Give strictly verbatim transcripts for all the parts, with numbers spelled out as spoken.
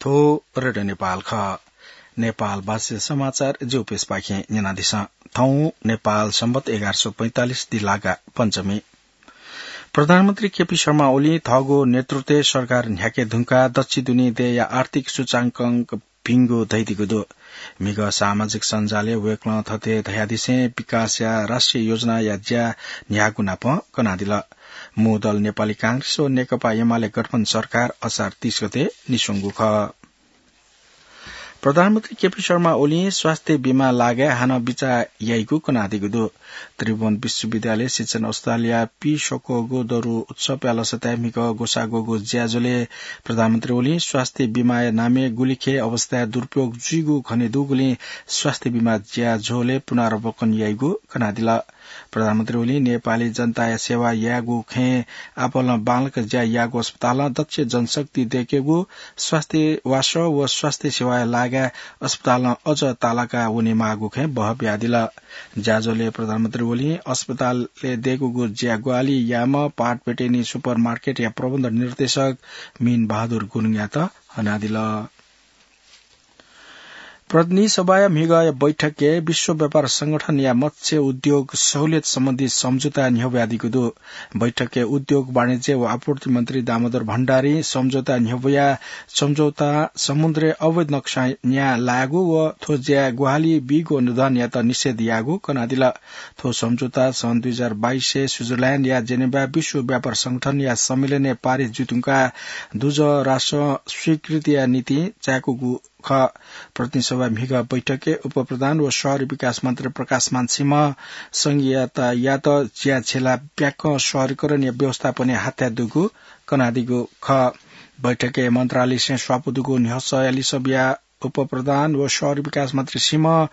थ्व रेडियो नेपाल खः। नेपाल भाषा समाचार ज्यूपिसपाखें न्यनादिसँ। थौं नेपाल सम्बत एघार सौ पैंतालिस दिलागा पञ्चमी। प्रधानमन्त्री केपी शर्मा ओलीं थःगु नेतृत्वय् सरकार न्ह्याके धुंकाः दच्छि दुने देय्‌या आर्थिक सूचांकन भिंगु धयादीगु दु। म्हिगः सामाजिक सञ्जालय् वय्‌कलं थथे धयादिसें विकासया राष्ट्रिय योजनाया ज्या न्ह्याःगु नापं कनादिल। मू दल नेपाली कांग्रेस व नेकपा एमाले गठबन्धन सरकार असार तीस गते निस्वंगु खः। प्रधानमन्त्री केपी शर्मा ओलीं स्वास्थ्य बीमा लागाय् हानं बिचाः याइगु कनादीगु दु। त्रिभुवन विश्वविद्यालय शिक्षण औषधालयया पीः स्वक्वःगु दरु उत्सवया लसताय् म्हिगः ग्वसाः ग्वःगु ज्याझ्वलय् प्रधानमन्त्री ओलीं स्वास्थ्य बीमाया नामय् गुलिखे अवस्थाय् दुरुपयोग जुइगु खने दुगुलिं स्वास्थ्य बीमा ज्याझ्वलय् पुनरावलोकन याइगु कनादिल। प्रधानमन्त्री ओलीं नेपाली जनताया सेवा यायेगु खँय् आपालं बांलाक ज्या याःगु अस्पतालं दक्ष जनशक्ति दय्‌केगु, स्वास्थ्य वासः व स्वास्थ्य सेवाया लागाय् अस्पतालं अझ तालाका वनेमाःगु खँय् बहः बियादिल। ज्याझ्वलय् प्रधानमन्त्री ओलीं अस्पतालय् दय्‌कूगु ज्या ग्वाहालि याःम्ह पाटबेटेनी सुपर मार्केटया प्रबन्ध निर्देशक मीन बहादुर गुरुङयात हनादिल। प्रतिनिधि सभाया म्हिगःया बैठकय् विश्व व्यापार संगठनया मत्स्य उद्योग सहुलियत सम्बन्धी सम्झौता न्ह्यब्वयादीगु दु। बैठकय् उद्योग, वाणिज्य व आपूर्ति मन्त्री दामोदर भण्डारीं सम्झौता न्ह्यब्वयाः सम्झौता समुद्रय् अवैध नक्सा न्याः लायेगु व थ्व ज्याय् ग्वाहालि बीगु अनुदानयात निषेध याःगु कनादिल। थ्व सम्झौता सन् दुई हजार बाइसय् स्विजरल्याण्डया जेनेभा विश्व व्यापार संगठनया सम्मेलनय् पारित जुइधुंकाः दुजः राष्ट्रं स्वीकृतिया निंतिं चाय्‌कूगु खः। प्रतिनिधि सभा म्हिगः बैठकय् उपप्रधान व शहरी विकास मन्त्री प्रकाशमान सिंहं संघीयतायात ज्या छ्यलाः ब्याकं शहरीकरणया व्यवस्थापनय् हाथाय् दुगु कनादीगु खः। बैठकय् मन्त्रालयसिं स्वापू दुगु न्ह्यसःया लिसः बियाः उपप्रधान व शहरी विकास मन्त्री सिंहं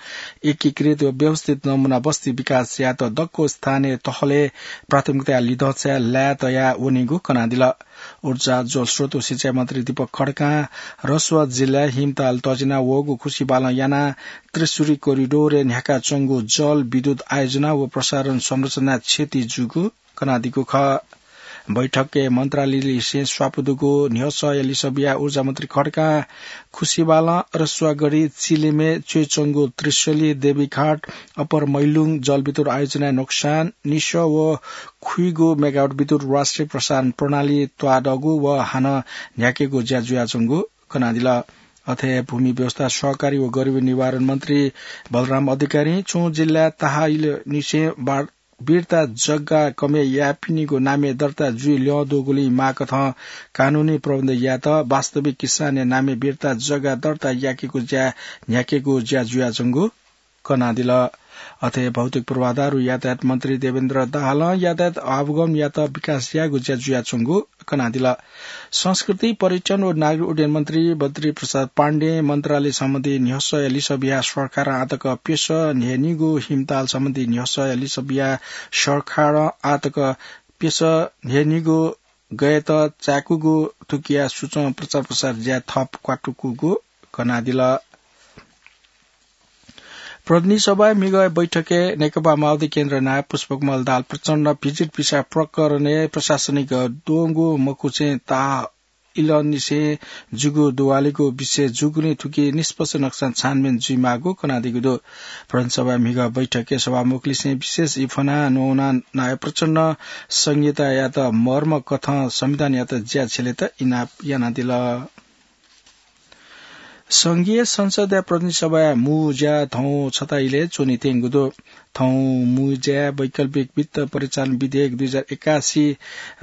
एकीकृत व व्यवस्थित नमुना बस्ती विकासयात दक्व स्थानीय तहलय् प्राथमिकताया लिधंछाय् लाय् तयाः वनीगु कनादिल। ऊर्जा, जलस्रोत व सिँचाइ मन्त्री दीपक खड्कां रसुवा जिल्लाय् हिमताल तजिना वःगु खुसिबालं यानाः त्रिशुरी कोरिडोरय् न्ह्याकाच्वंगु जल विद्युत आयोजना व प्रसारण संरचना क्षति जूगु कनादीगु खः। बैठकय् मन्त्रालयलिसें स्वापू दुगु न्ह्यसःया लिसः बियाः ऊर्जा मन्त्री खड्कां खुसिबालं, रसुवागढी, चिलेमय् च्वय्‌च्वंगु त्रिशुली, देवीघाट, अप्पर मैलुङ जलविद्युत आयोजनाय् नोक्सान, निसः व खुइगू मेगावाट विद्युत राष्ट्रिय प्रसारण प्रणाली त्वाःदःगु व हानं न्ह्याकेगु ज्या जुयाच्वंगु कनादिल। अथे भूमि व्यवस्था, सहकारी व गरिबी निवारण मन्त्री बलराम अधिकारीं छुं जिल्लाय् ताहाइलनिसें बा-, बिर्ता जग्गा कमय् याःपिनिगु नामय् दर्ता जुइ ल्यं दुगुलिं माःकथं कानूनी प्रबन्ध यायेत वास्तविक किसानया नामय् बिर्ता जग्गा दर्ता याकेगु ज्या न्ह्याकेगु ज्या जुयाच्वंगु कनादिल। अथे भौतिक पूर्वाधार व यातायात मन्त्री देवेन्द्र दाहालं यातायात आवागमनयात विकास यायेगु ज्या जुयाच्वंगु कनादिल। संस्कृति, पर्यटन व नागरिक उड्डयन मन्त्री बद्री प्रसाद पाण्डें मन्त्रालय सम्बन्धी न्ह्यसःया लिसः बियाः सरकारं आःतक प्यसः न्हय्‌निगू हिमताल सम्बन्धी न्ह्यसःया लिसः बियाः सरकारं आःतक प्यसः न्हय्‌निगू गयेत चाय्‌कूगु थुकिया सूचं प्रचार प्रसार ज्या थप क्वातुकूगु कनादिल। प्रतिनिधि सभाय् म्हिगः बैठकय् नेकपा माओवादी केन्द्र नायः पुष्पकमल दाहाल प्रचण्ड भिजिट भिसा प्रकरणय् प्रशासनिक द्वंगु मखुसें ताहाइलनिसें जूगु दुवालिगु विषय जूगुलिं थुकी निष्पक्ष नक्सां छानबिन जुइमाःगु कनादीगु दु। प्रतिनिधि सभाय् म्हिगः बैठकय् सभामुखलिसें विशेष ई फ्वनाः न्ववानाः नायः प्रचण्डं संघीयतायात मर्म कथं संविधानयात ज्या छ्यलेत इनाप यानादिल। संघीय संसदया प्रतिनिधि सभाया मू ज्या थौं छता इलय् च्वने त्यंगु दु। थौं मू ज्याय् वैकल्पिक वित्त परिचालन विधेयक दुई हजार एकासी,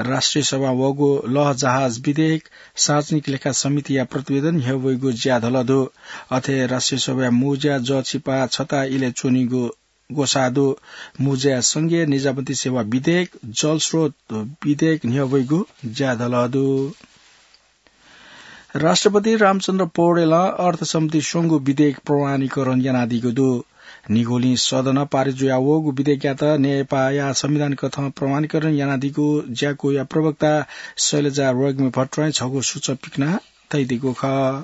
राष्ट्रिय सभां वःगु लःजहाज विधेयक, सार्वजनिक लेखा समितिया प्रतिवेदन न्ह्यब्वइगु ज्या धल दु। अथे राष्ट्रिय सभाया मू ज्या जःछिपा छता इलय् च्वनीगु ग्वसाः दु। मू ज्याय् संघीय निजामती सेवा विधेयक, जलस्रोत विधेयक न्ह्यब्वइगु ज्या धल दु। राष्ट्रपति रामचन्द्र पौडेलं अर्थसम्बन्धी स्वंगू विधेयक प्रमाणीकरण यानादीगु दु। निगोलिं सदनं पारित जुयावःगु विधेयकयात नेपाःया संविधान कथं प्रमाणीकरण यानादीगु ज्याकुया प्रवक्ता शैलजा रोग्मी भट्टराईं छगू सूचक पिकना तयादीगु खः।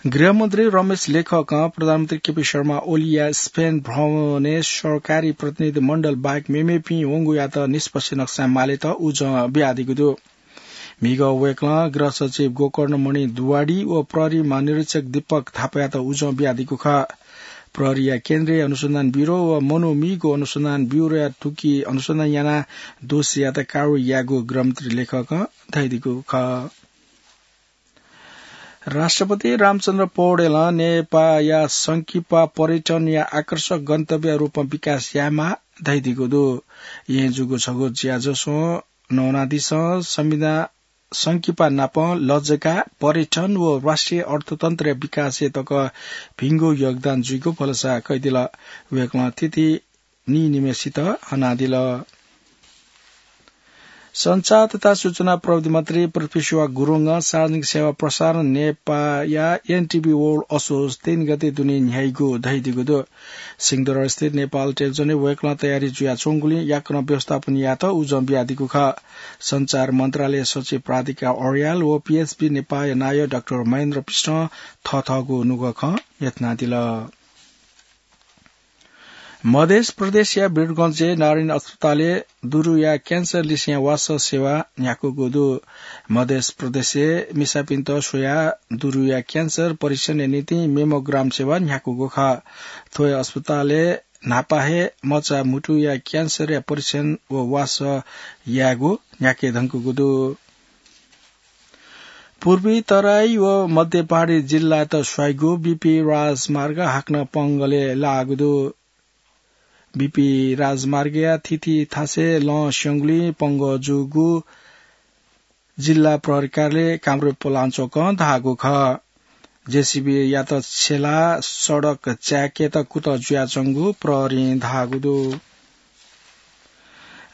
गृहमन्त्री रमेश लेखकं प्रधानमन्त्री केपी शर्मा ओलीया स्पेन भ्रमणय् सरकारी प्रतिनिधि मण्डल बाहेक मेमेपिं वंगुयात निष्पक्ष नक्सां मालेत उजं बियादीगु दु। म्हिगः वय्कलं गृह सचिव गोकर्णमणि दुवाडी व प्रहरी महानिरीक्षक दीपक थापायात उजं बियादीगु खः। प्रहरीया केन्द्रीय अनुसन्धान ब्यूरो व मनूम्हिगः अनुसन्धान ब्यूरोया थुकी अनुसन्धान यानाः दोषीयात कारवाही यायेगु गृहमन्त्री लेखकं धयादीगु खः। राष्ट्रपति रामचन्द्र पौडेलं नेपाःया संकिपा पर्यटनया आकर्षक गन्तव्य रूपमा विकास यायेमाः धयादीगु दु। येँ जूगु छगू ज्याझ्वः नवानादिसँ संविधान संकिपा नाप लजगाः, पर्यटन व राष्ट्रिय अर्थतन्त्रया विकासय् तक भिंगु योगदान जुइगु भलसा कयादिल। वय्कलं थीथी नीनिम्हेसित हनादिल। सञ्चार तथा सूचना प्रविधि मन्त्री पृथ्वी सुवाह गुरुङं सार्वजनिक सेवा प्रसारण नेपाःया एनटिभी वर्ल्ड असोज तीन गते दुने न्ह्याइगु धयादीगु दु। सिंहदरबारस्थित नेपाल टेलिभिजनय् वय्कलं तयारी जुयाच्वंगुलिं याकनं व्यवस्थापन यायेत उजं बियादीगु खः। सञ्चार मन्त्रालय सचिव राधिका अर्याल व पीएसबी नेपाःया नायः डाक्टर महेन्द्र पिष्टं थःथःगु नुगः खँ न्ह्यथनादिल। मध्य प्रदेशया वीरगंजय् नारायणी अस्पतालय् दुरुया क्यान्सर लिसेंया वासः सेवा न्ह्याकूगु दु। मध्य प्रदेशय् मिसापिन्त स्वयाः दुरुया क्यान्सर परीक्षणया निंतिं मेमोग्राम सेवा न्ह्याकूगु खः। थ्व हे अस्पतालय् न्हापा हे मचा म्हुतुया क्यान्सरया परीक्षण व वासः यायेगु न्ह्याके धुंकूगु दु। पूर्वी तराई व मध्य पहाडी जिल्लात स्वाइगु बीपी राजमार्ग हाकनं पंगलय् लाःगु दु। बीपी राजमार्गया थीथी थासय् लं स्यंगुलिं पंगः जूगु जिल्ला प्रहरी कार्यालय कामरूप पलाञ्चोकं धाःगु खः। जेसीबीयात छ्यलाः सडक चाय्केत कुतः जुयाच्वंगु प्रहरीं धाःगु दु।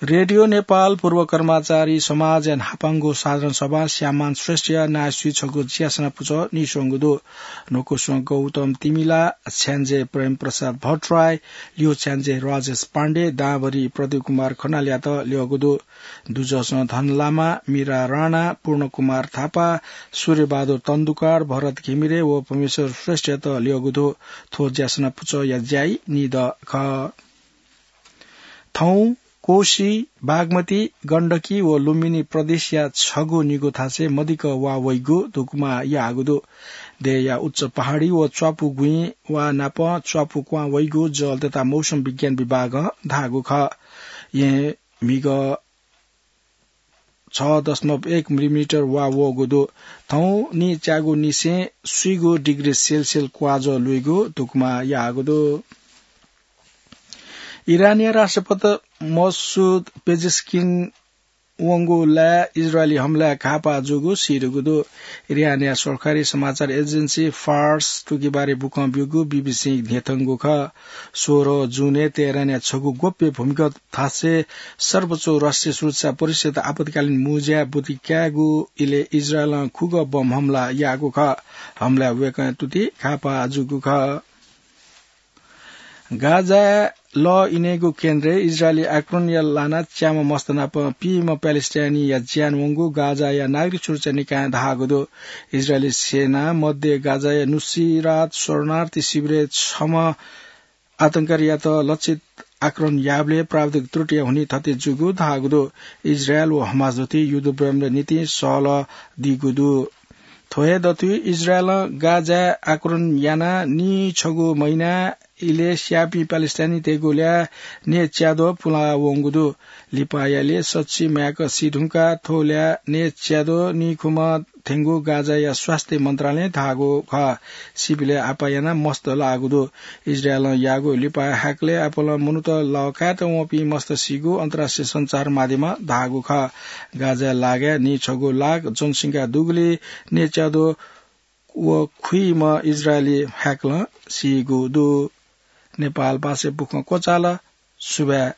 रेडियो नेपाल पूर्व कर्मचारी समाजया न्हापांगु साधारण सभा श्याममान श्रेष्ठया नाय्सुइ छगू ज्यासना पुचः नीस्वंगु दु। न्वकुस्वं गौतम तिमिला, छ्याञ्जे प्रेम प्रसाद भट्टराई, ल्यू छ्याञ्जे राजेश पाण्डे, दांभरि प्रदीप कुमार खनालयात ल्यःगु दु। दुजःसं धन लामा, मीरा राणा, पूर्ण कुमार थापा, सूर्यबहादुर तन्दुकार, भरत घिमिरे व परमेश्वर श्रेष्ठयात ल्यःगु दु। थ्व ज्यासना पुचःया ज्याइ निदँ खः। थौं कोशी, बागमती, गण्डकी व लुम्बिनी प्रदेशया छगू निगू थासय् मदिक्क वा वइगु धुकुमा याःगु दु। देय्‌या उच्च पहाडी व च्वापु गुँइ वा नाप च्वापु क्वहां वइगु जलतथा मौसम विज्ञान विभागं धाःगु खः। येँ म्हिगः छ दशमलव एक मिलिमिटर वा वःगु दु। थौं निच्यागु निसें स्वीगू डिग्री सेल्सियस क्वाजः लुइगु धुकुमा याःगु दु। इरानया राष्ट्रपति मसुद पेजेस्किन वंगु लाय् इजरायली हमलाय् घाःपाः जूगु सीधुंगु दु। इरानया सरकारी समाचार एजेन्सी फार्स तुकिबारी बुकं ब्यूगु बीबीसीं न्ह्यथंगु खः। सोह्र जूनय् तेहरानया छगू गोप्य भूमिगत थासय् सर्वोच्च राष्ट्रिय सुरक्षा परिषद आपतकालीन मुँज्याय् ब्वति कायेगु इलय् इजरायलं खुगः बम हमला याःगु खः। हमलाय् वय्कःया तुति घाःपाः जूगु खः। गाजाय् लः इनेगु केन्द्रय् इजरायली आक्रमणया लानाः च्याम्ह मस्त नाप पीम्ह प्यालेस्टाइनीया ज्यान वंगु गाजाया नागरिक सुरक्षा निकायं धाःगु दु। इजरायली सेनां मध्य गाजाया नुसिरात शरणार्थी शिविरय् छम्ह आतंकवादीयात लक्षित आक्रमण याःबलय् प्राविधिक त्रुटिया हुनिं थथे जूगु धाःगु दु। इजरायल व हमास दथुइ युद्ध विरामया निंतिं सहलह दीगु दु। थ्व हे दथुइ इजरायलं गाजाय् आक्रमण यानाः नीछगू महिना इलय् स्याःपिं प्यालेस्टाइनीतय्गु ल्याः न्यय्च्याद्वः पुलावंगु दु। लिपाया ल्याः सछि म्ह्याय्क सी धुंकाः थ्व ल्याः न्यय्च्याद्वः नीखुम्ह थेंगु गाजाया स्वास्थ्य मन्त्रालयं धाःगु खः। सीपिलय् आपाः यानाः मस्त लाःगु दु। इजरायलं याःगु लिपा हाकलय् आपालं मनूत लः कायेत वंपिं मस्त सीगु अन्तर्राष्ट्रिय सञ्चार माध्यमं धाःगु खः। गाजाया लागाय् नीछगू लाख जनसंख्या दुगुलिं न्यय्च्याद्वः व खुइम्ह इजरायली हाकलं सीगु दु। नेपाल भाषाय् बुखँ क्वचाल। सुभाय्।